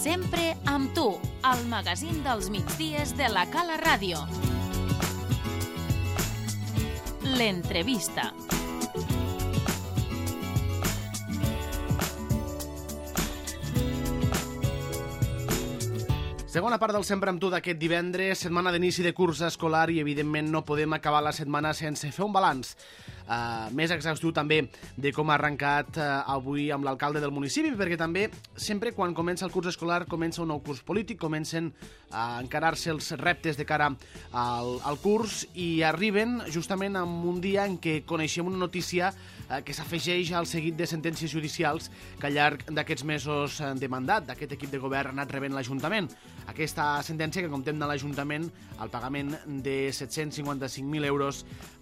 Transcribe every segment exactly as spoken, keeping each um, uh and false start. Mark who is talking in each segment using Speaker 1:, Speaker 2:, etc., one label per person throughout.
Speaker 1: Sempre amb tu, al magazín dels migdies de la Cala Ràdio. L'entrevista.
Speaker 2: Segona part del Sempre amb tu d'aquest divendres, setmana d'inici de curs escolar i evidentment no podem acabar la setmana sense fer un balanç uh, més exhaustiu també de com ha arrencat uh, avui amb l'alcalde del municipi, perquè també sempre quan comença el curs escolar comença un nou curs polític, comencen a encarar-se els reptes de cara al, al curs i arriben justament en un dia en què coneixem una notícia uh, que s'afegeix al seguit de sentències judicials que al llarg d'aquests mesos de mandat d'aquest equip de govern ha anat rebent l'Ajuntament. Aquesta sentència que condemna l'Ajuntament al pagament de set-cents cinquanta-cinc mil euros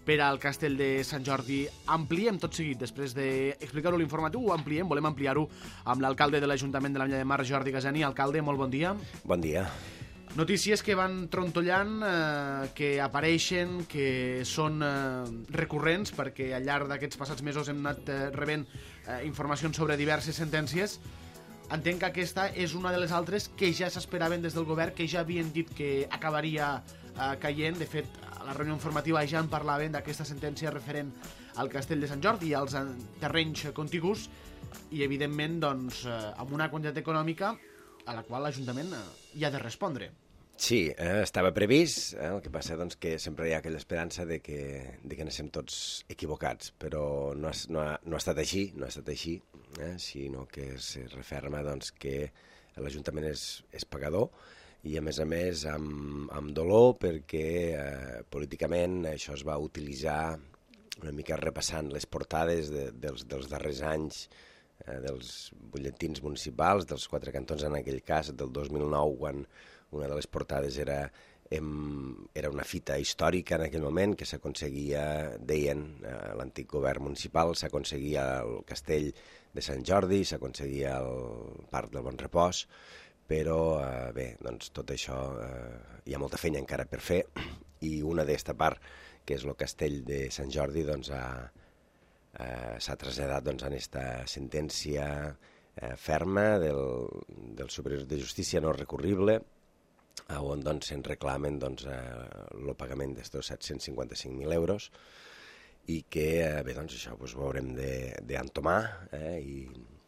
Speaker 2: per al castell de Sant Jordi. Ampliem tot seguit, després d'explicar-ho a l'informatiu, ho ampliem, volem ampliar-ho amb l'alcalde de l'Ajuntament de l'Ametlla de Mar, Jordi Gasani. Alcalde, molt bon dia.
Speaker 3: Bon dia.
Speaker 2: Notícies que van trontollant, eh, que apareixen, que són eh, recurrents, perquè al llarg d'aquests passats mesos hem anat eh, rebent eh, informacions sobre diverses sentències. Entenc que aquesta és una de les altres que ja s'esperaven des del govern, que ja havien dit que acabaria eh, caient. De fet, a la reunió informativa ja en parlaven d'aquesta sentència referent al castell de Sant Jordi i als terrenys contigus i, evidentment, doncs, eh, amb una quantitat econòmica a la qual l'Ajuntament eh, hi ha de respondre.
Speaker 3: Sí, eh, estava previst, eh, el que passa doncs, que sempre hi ha aquella esperança de que, de que anéssim tots equivocats, però no ha, no ha, no ha estat així, no ha estat així, eh, sinó que es referma doncs, que l'Ajuntament és, és pagador i, a més a més, amb, amb dolor, perquè eh, políticament això es va utilitzar una mica repassant les portades de, dels, dels darrers anys, eh, dels butlletins municipals, dels quatre cantons en aquell cas, del dos mil nou, quan una de les portades era, em, era una fita històrica en aquell moment que s'aconseguia, deien, eh, l'antic govern municipal, s'aconseguia el castell de Sant Jordi, s'aconseguia el Parc del Bon Repòs, però eh, bé, doncs tot això eh, hi ha molta feina encara per fer i una d'esta part, que és el castell de Sant Jordi, doncs ha, eh, s'ha traslladat doncs, en esta sentència eh, ferma del, del Superior de Justícia no recurrible, on doncs, se'n reclamen doncs, el eh, pagament d'estos set-cents cinquanta-cinc mil euros i que eh, bé, doncs, això doncs, ho haurem d'entomar eh, i,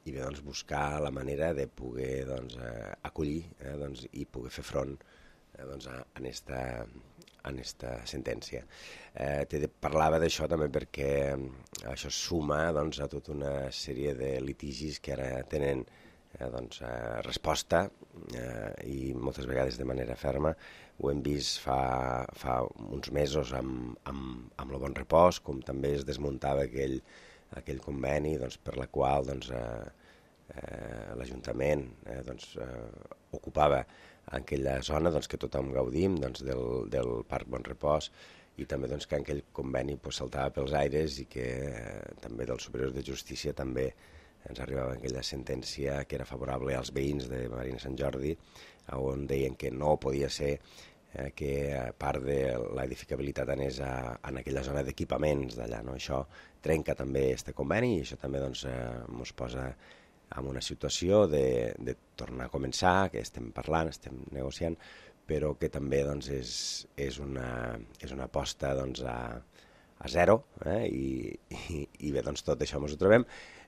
Speaker 3: i bé, doncs, buscar la manera de poder doncs, eh, acollir eh, doncs, i poder fer front eh, doncs, a, a, esta, a esta sentència. Eh, te parlava d'això també perquè això suma doncs, a tota una sèrie de litigis que ara tenen Eh, doncs, eh, resposta eh, i moltes vegades de manera ferma. Ho hem vist fa, fa uns mesos amb, amb, amb el Bon Repòs, com també es desmuntava aquell, aquell conveni doncs, per la qual doncs, eh, eh, l'Ajuntament eh, doncs, eh, ocupava aquella zona doncs, que tothom gaudim doncs, del, del Parc Bon Repòs i també doncs, que aquell conveni pues, saltava pels aires i que eh, també del Superior de Justícia també ens arribava aquella sentència que era favorable als veïns de Marina Sant Jordi, on deien que no podia ser eh, que part de l'edificabilitat anés a, en aquella zona d'equipaments d'allà. No? Això trenca també este conveni i això també doncs, eh, ens posa en una situació de, de tornar a començar, que estem parlant, estem negociant, però que també doncs, és, és, una, és una aposta doncs, a, a zero eh? I, i, i bé, doncs, tot això ens ho trobem.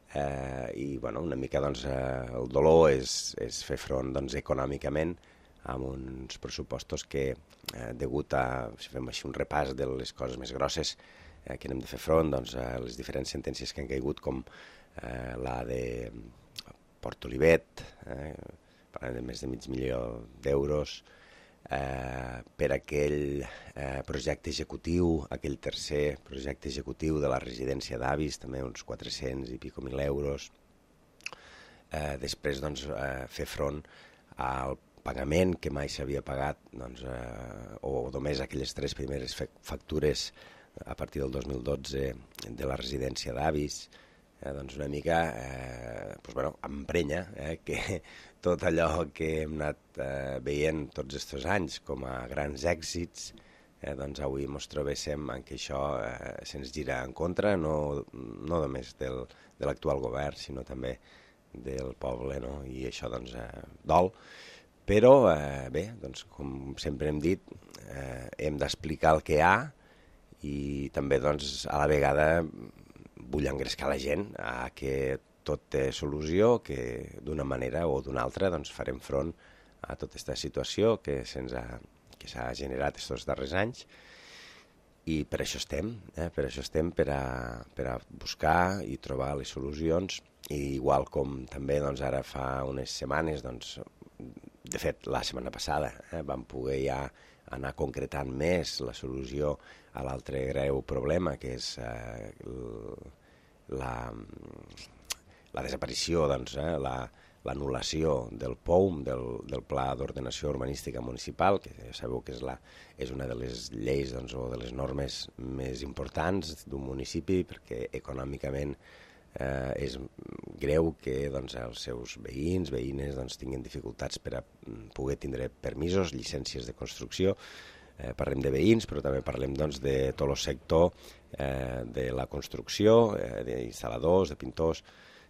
Speaker 3: Eh, i bueno, una mica doncs, eh, el dolor és, és fer front doncs, econòmicament amb uns pressupostos que eh, degut a, si fem així un repàs de les coses més grosses eh, que hem de fer front, doncs, a les diferents sentències que han caigut com eh, la de Port Olivet, eh, parlant de més de mig milió d'euros, Eh, per aquell eh, projecte executiu, aquell tercer projecte executiu de la residència d'avis, també uns quatre-cents i pico mil euros. Eh, després doncs, eh, fer front al pagament que mai s'havia pagat, doncs, eh, o només aquelles tres primeres factures a partir del dos mil dotze de la residència d'avis, eh, doncs una mica eh, doncs, bueno, emprenya eh, que tot allò que hem anat eh, veient tots aquests anys com a grans èxits, eh, doncs avui ens trobéssim en què això eh, se'ns gira en contra, no, no només del, de l'actual govern, sinó també del poble, no? I això doncs eh, dol. Però, eh, bé, doncs, com sempre hem dit, eh, hem d'explicar el que hi ha i també, doncs, a la vegada vull engrescar la gent a que tot té solució, que d'una manera o d'una altra doncs, farem front a tota aquesta situació que se'ns ha, que s'ha generat aquests darrers anys i per això estem, eh? per això estem per a, per a buscar i trobar les solucions i igual com també doncs, ara fa unes setmanes doncs, de fet, la setmana passada eh, vam poder ja anar concretant més la solució a l'altre greu problema, que és eh, la, la desaparició, doncs, eh, la, l'anul·lació del P O U M, del, del Pla d'Ordenació Urbanística Municipal, que ja sabeu que és, la, és una de les lleis doncs, o de les normes més importants d'un municipi, perquè econòmicament Eh, és greu que doncs, els seus veïns, veïnes doncs, tinguin dificultats per a poder tindre permisos, llicències de construcció. Eh, parlem de veïns, però també parlem doncs, de tot el sector eh, de la construcció, eh, d'instal·ladors, de pintors,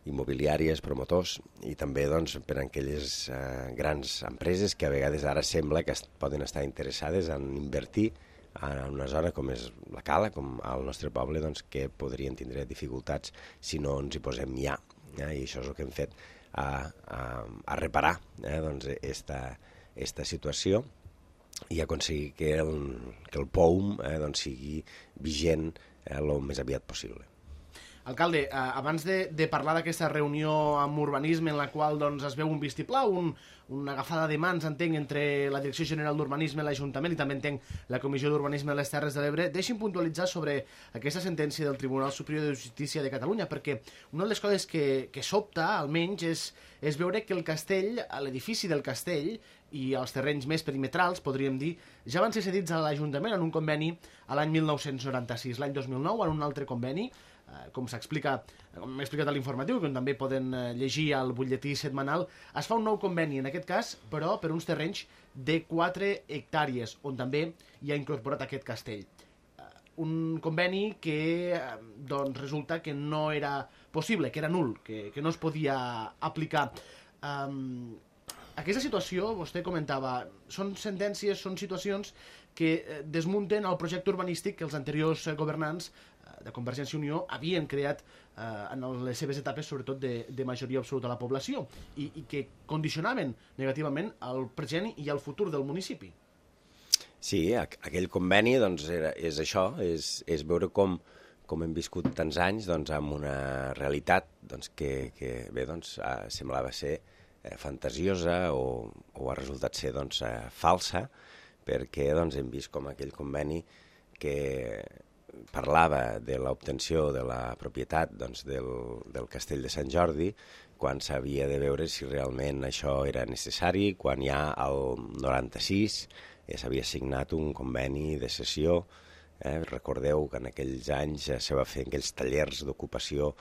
Speaker 3: immobiliàries, promotors, i també doncs, per a aquelles eh, grans empreses que a vegades ara sembla que est poden estar interessades en invertir en una zona com és la Cala, com al nostre poble, doncs, que podrien tindre dificultats si no ens hi posem ja. Eh? I això és el que hem fet a, a, a reparar eh? doncs, esta, esta situació i aconseguir que el, que el P O U M eh, doncs, sigui vigent el eh, més aviat possible.
Speaker 2: Alcalde, eh, abans de, de parlar d'aquesta reunió amb urbanisme en la qual doncs, es veu un vistiplau, un, una agafada de mans, entenc, entre la Direcció General d'Urbanisme i l'Ajuntament i també entenc la Comissió d'Urbanisme de les Terres de l'Ebre, deixi'm puntualitzar sobre aquesta sentència del Tribunal Superior de Justícia de Catalunya, perquè una de les coses que, que sobta, almenys, és, és veure que el castell, l'edifici del castell i els terrenys més perimetrals, podríem dir, ja van ser cedits a l'Ajuntament en un conveni a l'any mil nou-cents noranta-sis. L'any dos mil nou, en un altre conveni, com s'explica, com m'he explicat a l'informatiu, que també poden llegir al butlletí setmanal, es fa un nou conveni, en aquest cas, però per uns terrenys de quatre hectàrees, on també hi ha incorporat aquest castell. Un conveni que doncs, resulta que no era possible, que era nul, que, que no es podia aplicar. Um, aquesta situació, vostè comentava, són sentències, són situacions que desmunten el projecte urbanístic que els anteriors governants de Convergència i Unió havien creat eh, en les seves etapes, sobretot de, de majoria absoluta a la població, i, i que condicionaven negativament el present i el futur del municipi.
Speaker 3: Sí, aquell conveni doncs, era, és això, és, és veure com, com hem viscut tants anys doncs, amb una realitat doncs, que, que bé, doncs, eh, semblava ser eh, fantasiosa o, o ha resultat ser doncs, eh, falsa, perquè doncs, hem vist com aquell conveni que parlava de l'obtenció de la propietat doncs, del, del castell de Sant Jordi, quan s'havia de veure si realment això era necessari, quan ja al noranta-sis eh, s'havia signat un conveni de cessió. Eh? Recordeu que en aquells anys eh, se va fer aquells tallers d'ocupació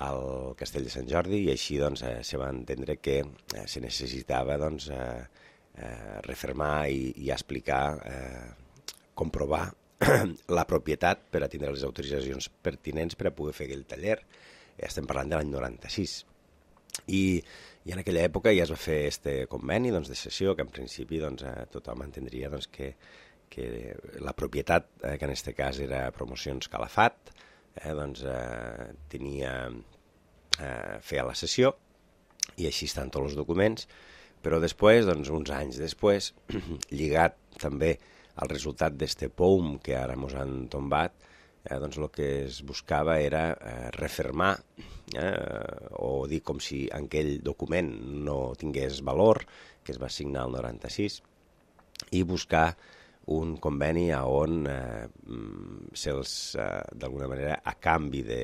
Speaker 3: al castell de Sant Jordi i així doncs, eh, se va entendre que eh, se necessitava doncs, eh, eh, refermar i, i explicar, eh, comprovar la propietat per a tindre les autoritzacions pertinents per a poder fer aquell taller. Estem parlant de l'any noranta-sis. I, I en aquella època ja es va fer este conveni doncs, de cessió, que en principi doncs, eh, tothom entendria doncs, que, que la propietat, eh, que en aquest cas era Promocions Calafat, eh, doncs, eh, tenia eh, feia la cessió i així estan tots els documents, però després, doncs, uns anys després, lligat també el resultat d'este P O U M que ara ens han tombat, eh, doncs el que es buscava era eh, refermar eh, o dir com si aquell document no tingués valor, que es va signar el noranta-sis, i buscar un conveni on eh, se'ls, eh, d'alguna manera, a canvi de,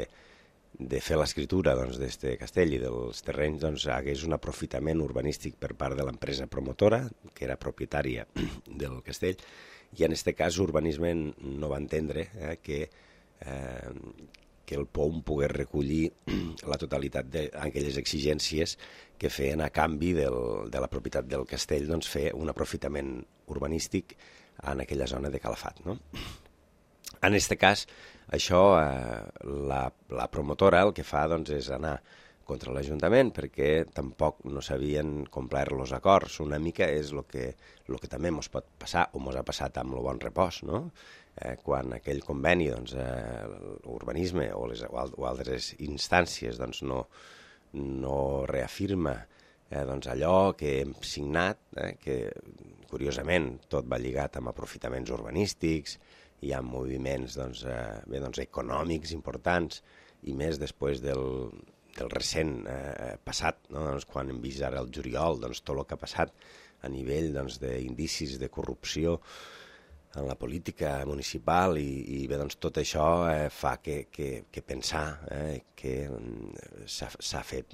Speaker 3: de fer l'escriptura doncs, d'este castell i dels terrenys, doncs, hagués un aprofitament urbanístic per part de l'empresa promotora, que era propietària del castell, i en aquest cas Urbanisme no va entendre eh, que, eh, que el P O U M pogués recollir la totalitat d'aquelles exigències que feien a canvi del, de la propietat del castell doncs, fer un aprofitament urbanístic en aquella zona de Calafat. No? En aquest cas, això, eh, la, la promotora el que fa doncs, és anar contra l'Ajuntament perquè tampoc no s'havien complert els acords. Una mica és el que, lo que també ens pot passar, o ens ha passat amb el Bon Repòs, no? Eh, quan aquell conveni, doncs, eh, l'urbanisme o, les, o altres instàncies doncs, no, no reafirma eh, doncs allò que hem signat, eh, que curiosament tot va lligat amb aprofitaments urbanístics, hi ha moviments doncs, eh, bé, doncs, econòmics importants, i més després del, del recent eh, passat, no? Doncs, quan hem vist ara el juliol doncs, tot el que ha passat a nivell doncs, d'indicis de corrupció en la política municipal i, i bé, doncs, tot això eh, fa que, que, que pensar eh, que s'ha fet,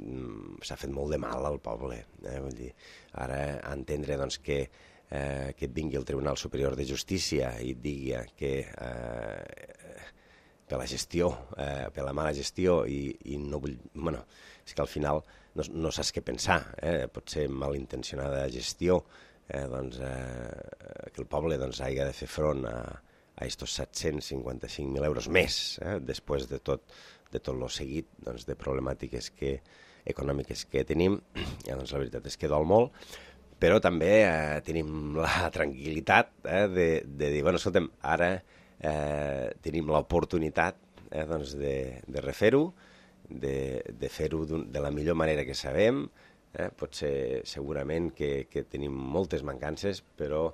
Speaker 3: fet molt de mal al poble. Eh? Vull dir, ara entendre doncs, que Eh, que et vingui el Tribunal Superior de Justícia i et digui que eh, per la gestió, eh, per la mala gestió i, i no vull... Bueno, és que al final no, no saps què pensar, eh? Pot ser malintencionada gestió, eh, doncs, eh, que el poble doncs, hagi de fer front a, a estos set-cents cinquanta-cinc mil euros més, eh? Després de tot, de tot lo seguit doncs, de problemàtiques que, econòmiques que tenim, ja, doncs, la veritat és que dol molt, però també eh, tenim la tranquil·litat eh, de, de dir, bueno, escolta'm, ara eh, tenim l'oportunitat eh, doncs de, de refer-ho, de, de fer-ho de la millor manera que sabem. Eh? Potser segurament que, que tenim moltes mancances, però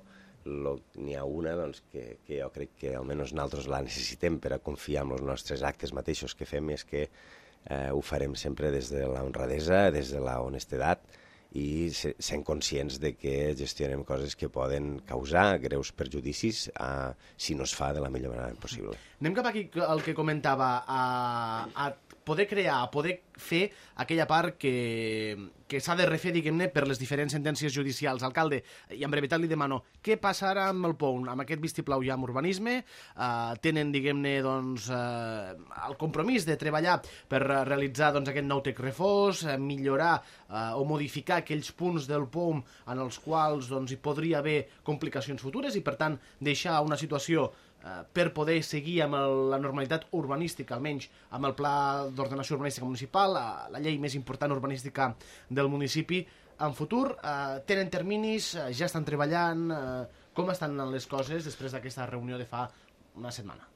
Speaker 3: n'hi ha una doncs, que, que jo crec que almenys nosaltres la necessitem per a confiar en els nostres actes mateixos que fem, és que eh, ho farem sempre des de la honradesa, des de la honestedat, i sent conscients de que gestionem coses que poden causar greus perjudicis a, si no es fa de la millor manera possible.
Speaker 2: Anem cap aquí el que comentava, a, a poder crear, a poder fer aquella part que, que s'ha de refer, diguem-ne, per les diferents sentències judicials. Alcalde, i en brevetat li demano, què passarà amb el P O U? Amb aquest vistiplau ja amb urbanisme, eh, tenen, diguem-ne, doncs, eh, el compromís de treballar per realitzar doncs, aquest nou Tec Refós, eh, millorar eh, o modificar aquells punts del P O U en els quals doncs, hi podria haver complicacions futures i, per tant, deixar una situació eh, per poder seguir amb el, la normalitat urbanística, almenys amb el Pla d'Ordenació Urbanística Municipal, la, la llei més important urbanística del municipi. En futur, eh, tenen terminis, eh, ja estan treballant, eh, com estan les coses després d'aquesta reunió de fa una setmana?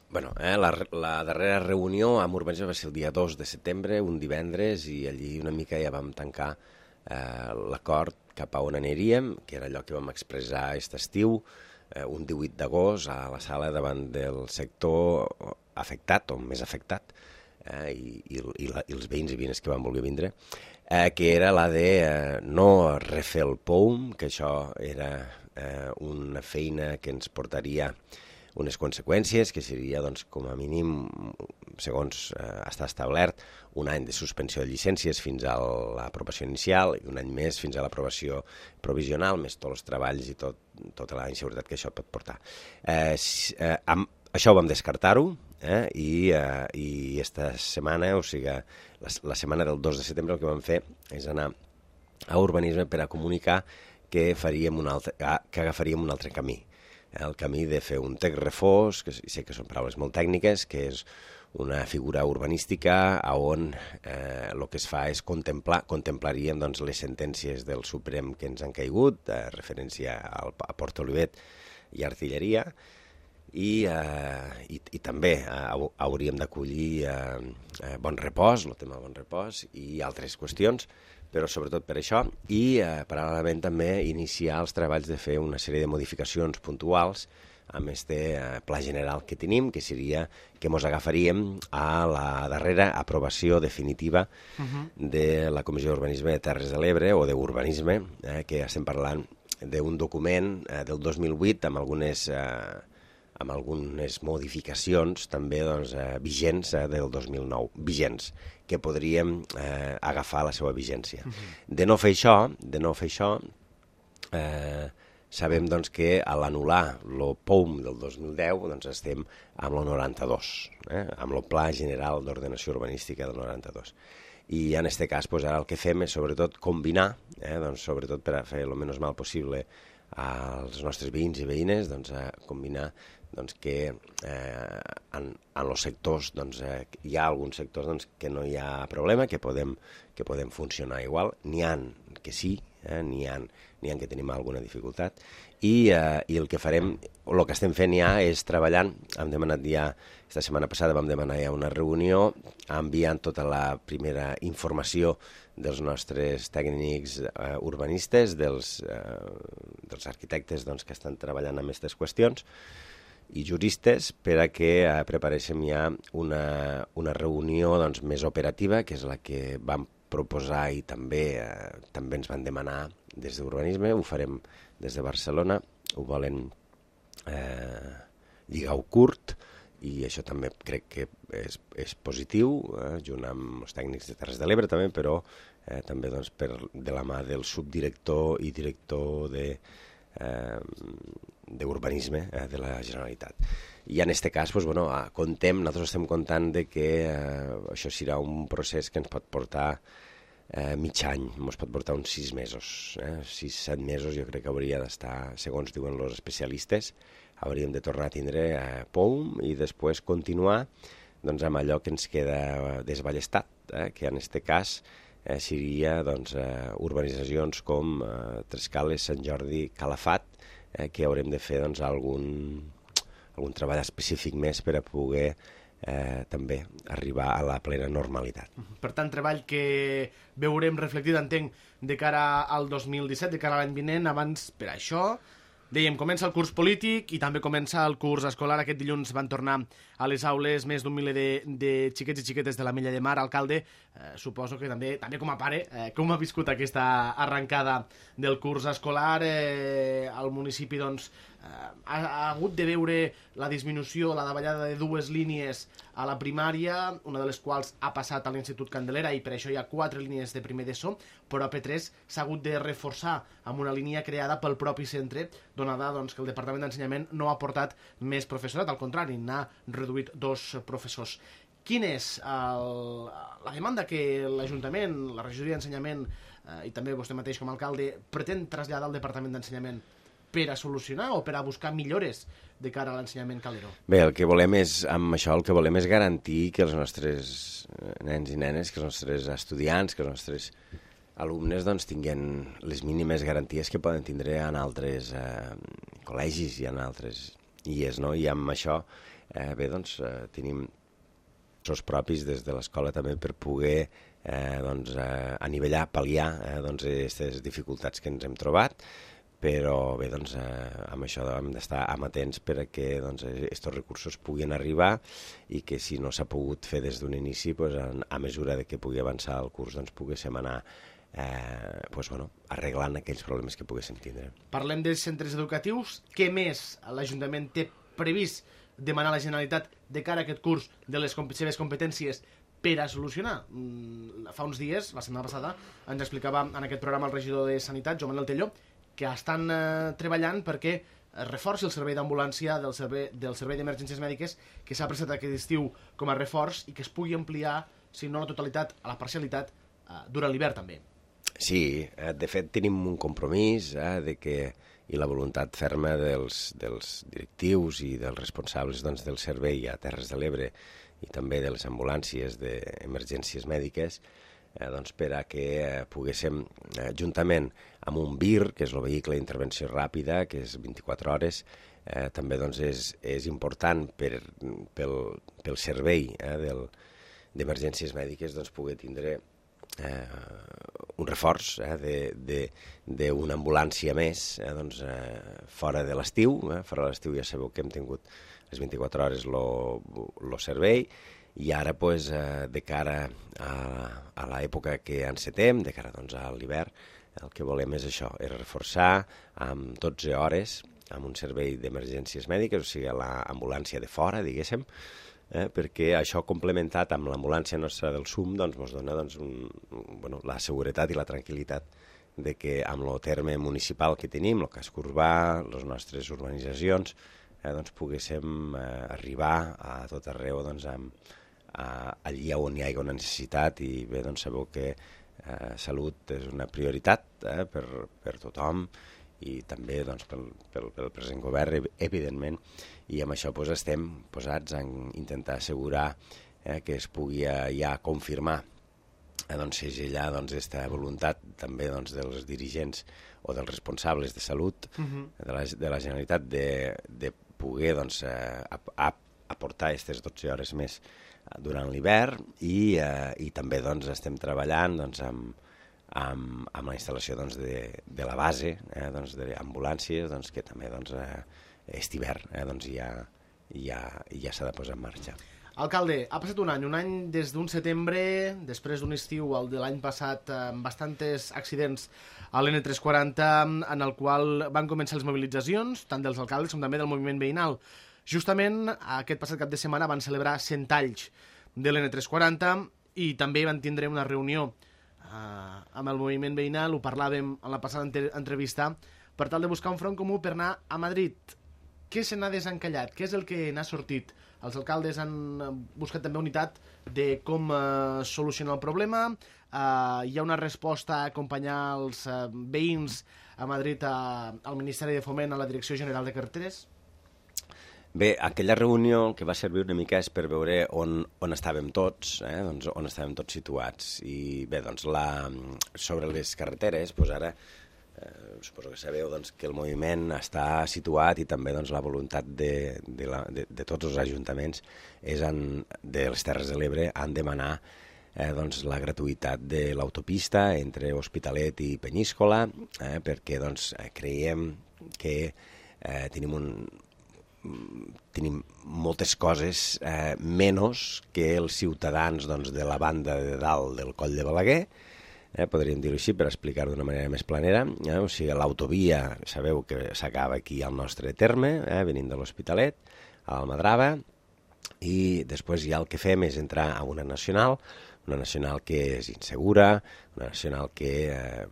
Speaker 3: Bueno, eh, la, la darrera reunió amb urbanisme va ser el dia dos de setembre, un divendres, i allí una mica ja vam tancar eh, l'acord cap a on aniríem, que era allò que vam expressar aquest estiu, eh, un divuit d'agost a la sala davant del sector afectat, o més afectat, eh, i, i, i, la, i els veïns i veïnes que van voler vindre, eh, que era la de eh, no refer el P O U M, que això era eh, una feina que ens portaria unes conseqüències, que seria, doncs, com a mínim, segons eh, està establert, un any de suspensió de llicències fins a l'aprovació inicial i un any més fins a l'aprovació provisional, més tots els treballs i tot, tota la inseguretat que això pot portar. Eh, eh, amb, això ho vam descartar-ho, eh, i, eh, i esta setmana, o sigui, la, la setmana del dos de setembre, el que vam fer és anar a urbanisme per a comunicar que, faríem un altre, que agafaríem un altre camí. El camí de fer un Tec Refós, que sé que són paraules molt tècniques, que és una figura urbanística on eh, el que es fa és contemplar, contemplaríem doncs, les sentències del Suprem que ens han caigut, de referència al, a Port Olivet i Artilleria, i, eh, i, i també eh, hauríem d'acollir eh, eh, Bon Repòs, el tema Bon Repòs, i altres qüestions, però sobretot per això, i eh, paral·lelament també iniciar els treballs de fer una sèrie de modificacions puntuals amb este eh, pla general que tenim, que seria que ens agafaríem a la darrera aprovació definitiva uh-huh. de la Comissió d'Urbanisme de Terres de l'Ebre, o d'Urbanisme, eh, que estem parlant d'un document eh, del dos mil vuit amb algunes... Eh, amb algunes modificacions també doncs, eh, vigents eh, del dos mil nou, vigents, que podríem eh, agafar la seva vigència. Uh-huh. De no fer això, de no fer això, eh, sabem doncs, que a l'anul·lar el P O U M del dos mil deu doncs, estem amb el noranta-dos, eh, amb el Pla General d'Ordenació Urbanística del noranta-dos. I en aquest cas doncs, ara el que fem és sobretot combinar, eh, doncs, sobretot per a fer el menys mal possible als nostres veïns i veïnes, doncs, a combinar doncs, que eh, en, en els sectors doncs, eh, hi ha alguns sectors doncs, que no hi ha problema, que podem, que podem funcionar igual, n'hi ha que sí, eh, n'hi ha, n'hi ha que tenim alguna dificultat, i, eh, i el que farem, el que estem fent ja és treballant, hem demanat ja, esta setmana passada vam demanar ja una reunió, enviant tota la primera informació dels nostres tècnics eh, urbanistes, dels, eh, dels arquitectes doncs, que estan treballant amb aquestes qüestions, i juristes, per a que eh, preparéssim ja una, una reunió doncs, més operativa, que és la que vam proposar i també, eh, també ens van demanar des d'Urbanisme, ho farem des de Barcelona, ho volen eh, lligar-ho curt, i això també crec que és, és positiu, eh, junt amb els tècnics de Terres de l'Ebre també, però eh, també doncs, per, de la mà del subdirector i director de, eh, d'Urbanisme eh, de la Generalitat. I en aquest cas, doncs, bueno, contem, nosaltres estem comptant de que eh, això serà un procés que ens pot portar eh, mig any, ens pot portar uns sis mesos, eh, sis, set mesos jo crec que hauria d'estar, segons diuen els especialistes, hauríem de tornar a tindre eh, P O U M i després continuar doncs, amb allò que ens queda desballestat, eh, que en aquest cas eh, seria doncs, eh, urbanitzacions com eh, Trescales, Sant Jordi, Calafat, eh, que haurem de fer doncs, algun, algun treball específic més per a poder eh, també arribar a la plena normalitat.
Speaker 2: Per tant, treball que veurem reflectit, entenc, de cara al dos mil disset, de cara a l'any vinent. Abans, per això, dèiem, comença el curs polític i també comença el curs escolar. Aquest dilluns van tornar a les aules més d'un miler de, de xiquets i xiquetes de la Mella de Mar. Alcalde, eh, suposo que també, també com a pare, eh, com ha viscut aquesta arrencada del curs escolar? Eh, el municipi, doncs, eh, ha, ha hagut de veure la disminució, la davallada de dues línies a la primària, una de les quals ha passat a l'Institut Candelera, i per això hi ha quatre línies de primer d'ESO, però a P tres s'ha hagut de reforçar amb una línia creada pel propi centre, donada doncs, que el Departament d'Ensenyament no ha portat més professorat, al contrari, n'ha reduït dos professors. Quina és el, la demanda que l'Ajuntament, la regidoria d'Ensenyament eh, i també vostè mateix com a alcalde pretén traslladar al Departament d'Ensenyament per a solucionar o per a buscar millores de cara a l'ensenyament calero?
Speaker 3: Bé, el que volem és, amb això, el que volem és garantir que els nostres nens i nenes, que els nostres estudiants, que els nostres alumnes doncs, tinguin les mínimes garanties que poden tindre en altres eh, col·legis i en altres I E S, no? I amb això, eh, bé, doncs, eh, tenim els propis des de l'escola també per poder eh, doncs, eh, anivellar, pal·liar eh, doncs, aquestes dificultats que ens hem trobat, però bé, doncs, eh, amb això hem d'estar amatents per a que doncs, aquests recursos puguin arribar i que si no s'ha pogut fer des d'un inici, doncs, a, a mesura de que pugui avançar el curs, doncs, poguéssim anar eh, doncs, bueno, arreglant aquells problemes que poguéssim tindre.
Speaker 2: Parlem dels centres educatius. Què més l'Ajuntament té previst demanar a la Generalitat de cara a aquest curs de les comp- seves competències per a solucionar? Mm, fa uns dies, la setmana passada, ens explicava en aquest programa el regidor de Sanitat, Joan Manuel Telló, que estan eh, treballant perquè es reforci el servei d'ambulància del servei, del servei d'emergències mèdiques que s'ha prestat aquest estiu com a reforç i que es pugui ampliar, si no a la totalitat, a la parcialitat, eh, durant l'hivern també.
Speaker 3: Sí, eh, de fet tenim un compromís eh, de que i la voluntat ferma dels, dels directius i dels responsables doncs, del servei a Terres de l'Ebre i també de les ambulàncies d'emergències mèdiques eh, doncs, per a que eh, poguéssim, eh, juntament amb un V I R, que és el vehicle d'intervenció ràpida, que és vint-i-quatre hores, eh, també doncs, és, és important per, pel, pel servei eh, del, d'emergències mèdiques doncs, poder tindre eh, un reforç eh, d'una ambulància més eh, doncs, eh, fora de l'estiu. Eh, fora de l'estiu ja sabeu que hem tingut les vint-i-quatre hores el servei i ara pues, eh, de cara a, a l'època que encetem, de cara doncs, a l'hivern, el que volem és això, és reforçar amb dotze hores amb un servei d'emergències mèdiques, o sigui, l'ambulància de fora, diguéssim, eh, perquè això complementat amb l'ambulància nostra del S U M doncs, ens dona doncs, un, bueno, la seguretat i la tranquil·litat de que amb el terme municipal que tenim, el casc urbà, les nostres urbanitzacions, eh, doncs, poguéssim eh, arribar a tot arreu doncs, amb, a, allí on hi hagi una necessitat i bé, doncs sabeu que eh, salut és una prioritat eh, per, per tothom i també doncs, pel, pel, pel present govern, evidentment, i amb això doncs, estem posats a intentar assegurar eh, que es pugui ja confirmar eh, doncs, segellar doncs, aquesta voluntat també doncs, dels dirigents o dels responsables de salut uh-huh. de, la, de la Generalitat de, de poder doncs, eh, ap, ap, aportar aquestes dotze hores més durant l'hivern i, eh, i també doncs, estem treballant doncs, amb Amb, amb la instal·lació doncs, de, de la base, eh, doncs, d'ambulàncies, doncs, que també doncs, eh, aquest hivern eh, doncs, ja, ja, ja s'ha de posar en marxa.
Speaker 2: Alcalde, ha passat un any, un any des d'un setembre, després d'un estiu, el de l'any passat, amb bastants accidents a l'N tres quaranta, en el qual van començar les mobilitzacions, tant dels alcaldes com també del moviment veïnal. Justament, aquest passat cap de setmana van celebrar cent anys de l'N tres quaranta i també van tindre una reunió Uh, amb el moviment veïnal, ho parlàvem en la passada entre entrevista, per tal de buscar un front comú per anar a Madrid. Què se n'ha desencallat? Què és el que n'ha sortit? Els alcaldes han buscat també unitat de com uh, solucionar el problema. Uh, hi ha una resposta a acompanyar els uh, veïns a Madrid a, al Ministeri de Foment, a la Direcció General de Carreteres?
Speaker 3: Bé, aquella reunió el que va servir una mica és per veure on, on estàvem tots, eh? doncs on estàvem tots situats. I bé, doncs la, sobre les carreteres, doncs ara eh, suposo que sabeu doncs, que el moviment està situat i també doncs, la voluntat de, de, la, de, de tots els ajuntaments és en, de les Terres de l'Ebre han demanar eh, doncs, la gratuïtat de l'autopista entre Hospitalet i Penyíscola, eh, perquè doncs, creiem que eh, tenim un tenim moltes coses eh, menys que els ciutadans doncs, de la banda de dalt del Coll de Balaguer, eh, podríem dir-ho així per explicar-ho d'una manera més planera, eh? O sigui, l'autovia, sabeu que s'acaba aquí al nostre terme, eh, venint de l'Hospitalet, a l'Almadrava, i després ja el que fem és entrar a una nacional, una nacional que és insegura, una nacional que eh,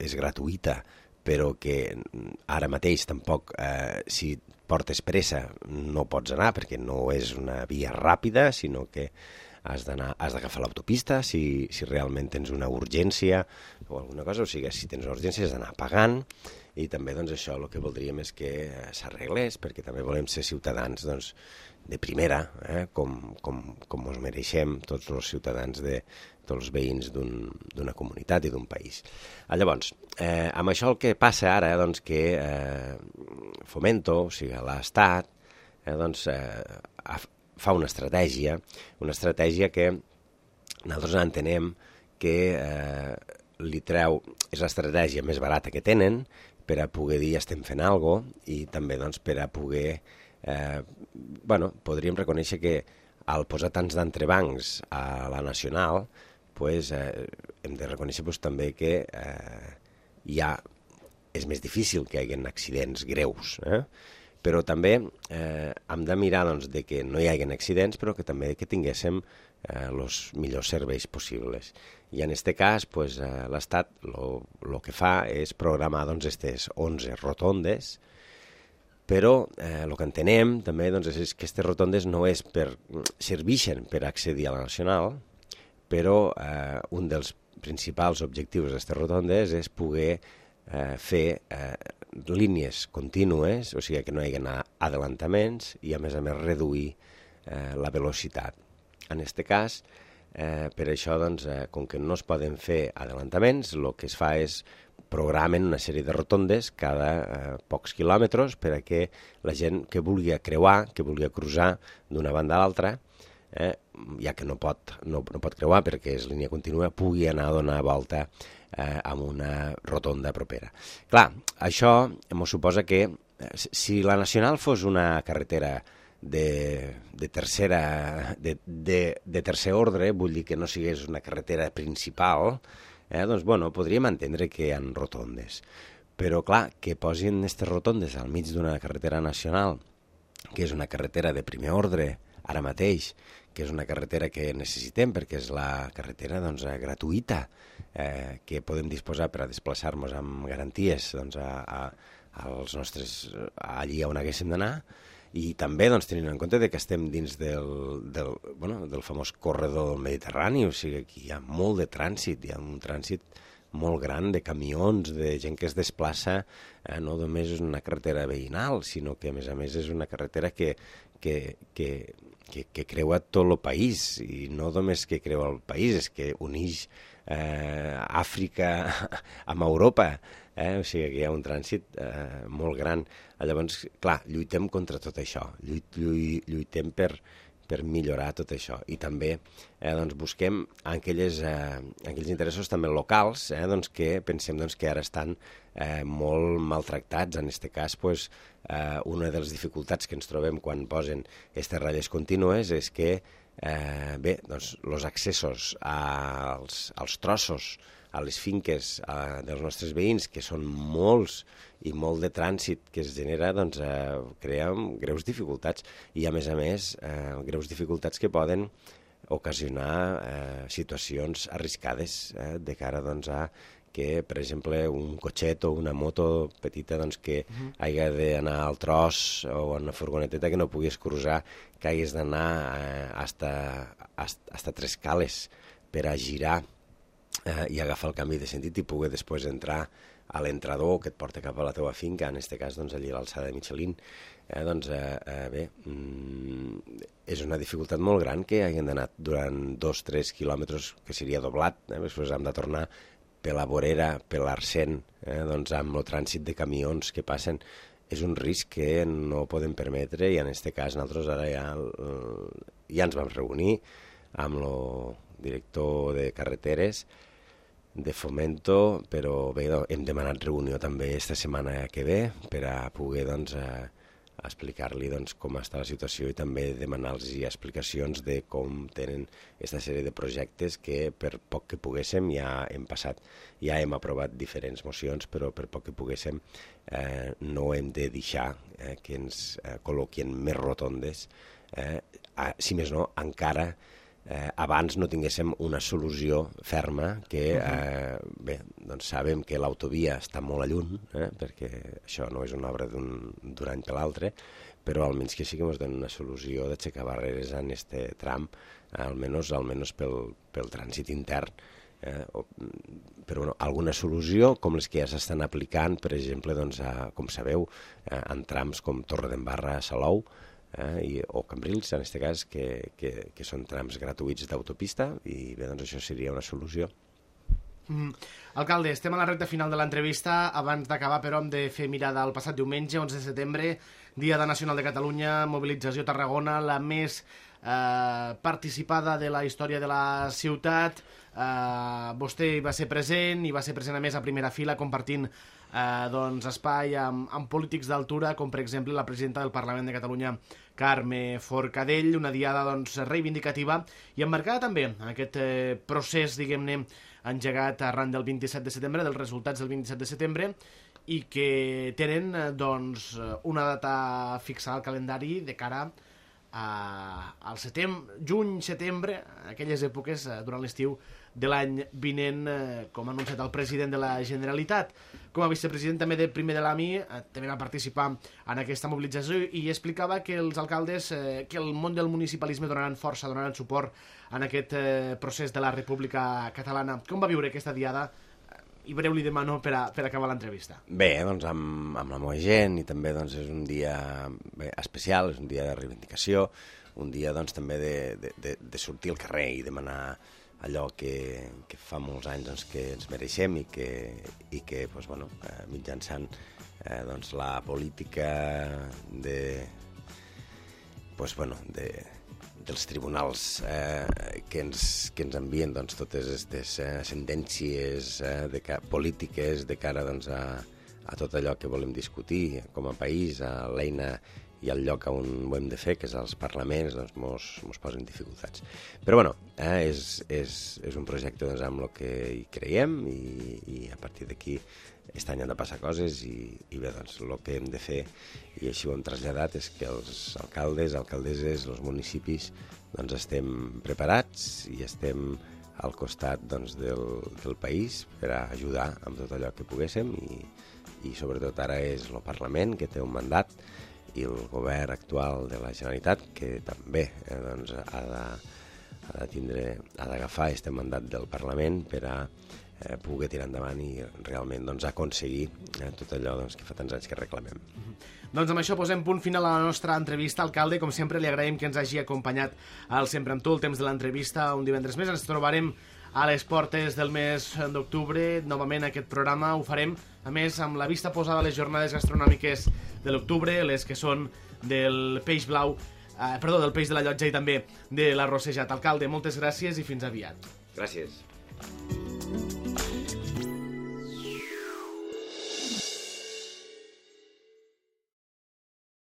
Speaker 3: és gratuïta, però que ara mateix tampoc, eh, si portes pressa, no pots anar perquè no és una via ràpida, sinó que has d'anar, has d'agafar l'autopista si, si realment tens una urgència o alguna cosa, o sigui, si tens una urgència has d'anar pagant, i també doncs, això el que voldríem és que s'arreglés, perquè també volem ser ciutadans doncs, de primera, eh, com, com, com us mereixem tots els ciutadans de tots els veïns d'una comunitat i d'un país. Llavors, eh, amb això el que passa ara, doncs, que eh, Fomento, o sigui, l'Estat, eh, doncs, eh, fa una estratègia, una estratègia que nosaltres entenem que eh, li treu, és l'estratègia més barata que tenen per a poder dir estem fent alguna cosa i també doncs, per a poder, eh, bueno, podríem reconèixer que al posar tants d'entrebancs a la nacional, pues, eh, hem de reconèixer pues, també que eh, ja és més difícil que hi hagi accidents greus, eh? Però també eh, hem de mirar doncs, de que no hi hagi accidents, però que també que tinguéssim els eh, millors serveis possibles. I en aquest cas, pues, eh, l'Estat el que fa és programar doncs, aquestes onze rotondes, però el eh, que entenem també doncs, és que aquestes rotondes no és per, serveixen per accedir a la nacional, però eh, un dels principals objectius d'aquestes rotondes és poder eh, fer eh, línies contínues, o sigui que no hi hagi adelantaments i a més a més reduir eh, la velocitat. En aquest cas, eh, per això, doncs, eh, com que no es poden fer adelantaments, el que es fa és programen una sèrie de rotondes cada eh, pocs quilòmetres per a que la gent que vulgui creuar, que vulgui cruzar d'una banda a l'altra, eh, ja que no pot, no, no pot creuar perquè és línia contínua, pugui anar a donar volta eh, amb una rotonda propera. Clar, això ens suposa que eh, si la nacional fos una carretera de, de, tercera, de, de, de tercer ordre, vull dir que no sigués una carretera principal, eh, doncs bueno, podríem entendre que hi ha rotondes. Però clar, que posin aquestes rotondes al mig d'una carretera nacional, que és una carretera de primer ordre, ara mateix, que és una carretera que necessitem perquè és la carretera doncs, gratuïta eh, que podem disposar per a desplaçar-nos amb garanties doncs, a, a, als nostres, allí on haguéssim d'anar, i també doncs, tenint en compte que estem dins del, del, bueno, del famós corredor del Mediterrani, o sigui que hi ha molt de trànsit, hi ha un trànsit molt gran de camions, de gent que es desplaça, eh, no només és una carretera veïnal, sinó que a més a més és una carretera que, que, que, que, que creua tot el país, i no només que creua el país, és que uneix eh, Àfrica amb Europa, eh? O sigui que hi ha un trànsit eh, molt gran. Llavors, clar, lluitem contra tot això, lluit, lluit, lluitem per per millorar tot això. I també eh, doncs busquem aquelles, eh, aquells interessos també locals eh, doncs que pensem doncs, que ara estan eh, molt maltractats. En aquest cas, pues, eh, una de les dificultats que ens trobem quan posen aquestes ratlles contínues és que eh, bé, doncs, els accessos als, als trossos, a les finques eh, dels nostres veïns, que són molts i molt de trànsit que es genera, doncs eh, crea greus dificultats i, a més a més, eh, greus dificultats que poden ocasionar eh, situacions arriscades eh, de cara doncs, a que, per exemple, un cotxet o una moto petita doncs, que uh-huh. hagi d'anar al tros o en una furgoneteta que no puguis cruzar, que hagués d'anar eh, hasta, hasta, hasta tres cales per a girar eh, i agafar el canvi de sentit i poder després entrar a l'entrador que et porta cap a la teva finca, en aquest cas doncs, allí a l'alçada de Michelin. Eh, doncs, eh, eh, bé, mm, és una dificultat molt gran que hagin d'anar durant dos o tres quilòmetres, que seria doblat, eh, després hem de tornar per la vorera, per l'Arsèn, eh, doncs, amb el trànsit de camions que passen. És un risc que no podem permetre i en aquest cas nosaltres ara ja, ja ens vam reunir amb el director de carreteres de Fomento, però bé, hem demanat reunió també esta setmana que ve per a poder doncs, eh, explicar-li doncs, com està la situació i també demanar-los explicacions de com tenen aquesta sèrie de projectes que per poc que poguéssim ja hem passat, ja hem aprovat diferents mocions, però per poc que poguéssim eh, no hem de deixar eh, que ens eh, col·loquin més rotondes, eh, a, si més no, encara Eh, abans no tinguéssim una solució ferma que, eh, bé, doncs sabem que l'autovia està molt a lluny, eh, perquè això no és una obra d'un any per l'altre, però almenys que sí que ens donen una solució d'aixecar barreres en aquest tram, almenys, almenys pel, pel trànsit intern. Eh, o, però bueno, alguna solució com les que ja s'estan aplicant, per exemple, doncs, a, com sabeu, eh, en trams com Torredembarra a Salou, Eh, i, o Cambrils, en aquest cas, que, que, que són trams gratuïts d'autopista i bé, doncs això seria una solució.
Speaker 2: Mm. Alcalde, estem a la recta final de l'entrevista. Abans d'acabar, però, hem de fer mirada al passat diumenge, onze de setembre, Dia Nacional de Catalunya, mobilització a Tarragona, la més eh, participada de la història de la ciutat. Eh, vostè hi va ser present, i va ser present a més a primera fila, compartint eh, doncs, espai amb, amb polítics d'altura, com per exemple la presidenta del Parlament de Catalunya, Carme Forcadell, una diada doncs, reivindicativa i emmarcada també en aquest eh, procés, diguem-ne, engegat arran del vint-i-set de setembre, dels resultats del vint-i-set de setembre, i que tenen eh, doncs, una data fixada al calendari de cara a, al setembre, juny, setembre, aquelles èpoques eh, durant l'estiu de l'any vinent, eh, com ha anunciat el president de la Generalitat. Com a vicepresident també de primer de l'A M I, eh, també va participar en aquesta mobilització i explicava que els alcaldes, eh, que el món del municipalisme donaran força, donaran suport en aquest eh, procés de la República Catalana. Com va viure aquesta diada? I breu li demano per, a, per acabar l'entrevista.
Speaker 3: Bé, doncs amb, amb la meva gent, i també doncs, és un dia bé, especial, és un dia de reivindicació, un dia doncs, també de, de, de, de sortir al carrer i demanar allò que, que fa molts anys doncs, que ens mereixem i que, i que doncs, bueno, eh, mitjançant eh, doncs, la política de, doncs, bueno, de, dels tribunals eh, que, ens, que ens envien doncs, totes aquestes eh, sentències eh, de ca polítiques de cara doncs, a, a tot allò que volem discutir com a país, a l'eina i el lloc on ho hem de fer, que és als parlaments, doncs mos, mos posen dificultats. Però bueno, eh, és, és, és un projecte doncs, amb el que hi creiem i, i a partir d'aquí aquest any han de passar coses i, i bé, doncs el que hem de fer, i així ho hem traslladat, és que els alcaldes, alcaldesses, els municipis, doncs estem preparats i estem al costat doncs, del, del país per a ajudar amb tot allò que poguéssim i, i sobretot ara és el Parlament que té un mandat i el govern actual de la Generalitat que també eh, doncs, ha de, ha de tindre, ha d'agafar aquest mandat del Parlament per a eh, poder tirar endavant i realment doncs, aconseguir eh, tot allò doncs, que fa tants anys que reclamem.
Speaker 2: Doncs amb això posem punt final a la nostra entrevista. Alcalde, com sempre, li agraïm que ens hagi acompanyat al Sempre amb tu, el temps de l'entrevista, un divendres més. Ens trobarem a les portes del mes d'octubre. Novament aquest programa ho farem, a més, amb la vista posada a les jornades gastronòmiques de l'octubre, les que són del peix blau, eh, perdó, del peix de la Llotja i també de l'arrossejat. Alcalde, moltes gràcies i fins aviat.
Speaker 3: Gràcies.